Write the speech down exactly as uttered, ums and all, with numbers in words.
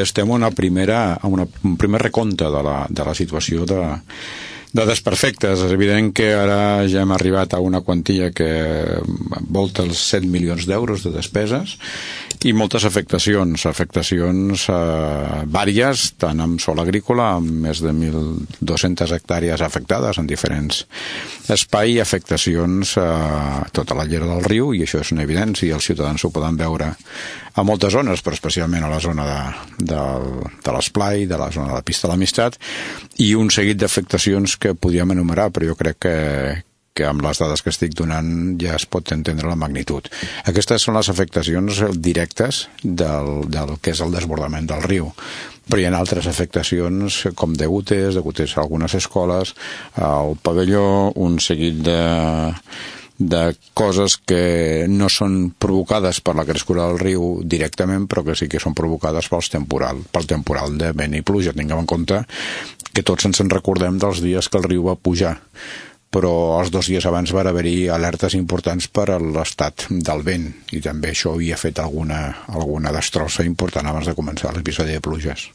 Estem en una primera, en una, un primer recompte de la, de la situació de, de desperfectes. És evident que ara ja hem arribat a una quantia que volta els set milions d'euros de despeses i moltes afectacions, afectacions eh, vàries, tant en sòl agrícola, amb més de mil dues-centes hectàrees afectades en diferents espais, i afectacions a tota la llera del riu, i això és una evidència, i els ciutadans ho poden veure a moltes zones, però especialment a la zona de, de, de l'esplai, de la zona de la pista de l'Amistat, i un seguit d'afectacions que podríem enumerar, però jo crec que, que amb les dades que estic donant ja es pot entendre la magnitud. Aquestes són les afectacions directes del, del que és el desbordament del riu. Però hi ha altres afectacions com degutes, degutes a algunes escoles, al pavelló, un seguit de de coses que no són provocades per la crescuda del riu directament, però que sí que són provocades pels temporal, pel temporal de vent i pluja. Tinguem en compte que tots ens en recordem dels dies que el riu va pujar, però els dos dies abans van haver-hi alertes importants per a l'estat del vent, i també això havia fet alguna, alguna destrossa important abans de començar l'episodi de pluges.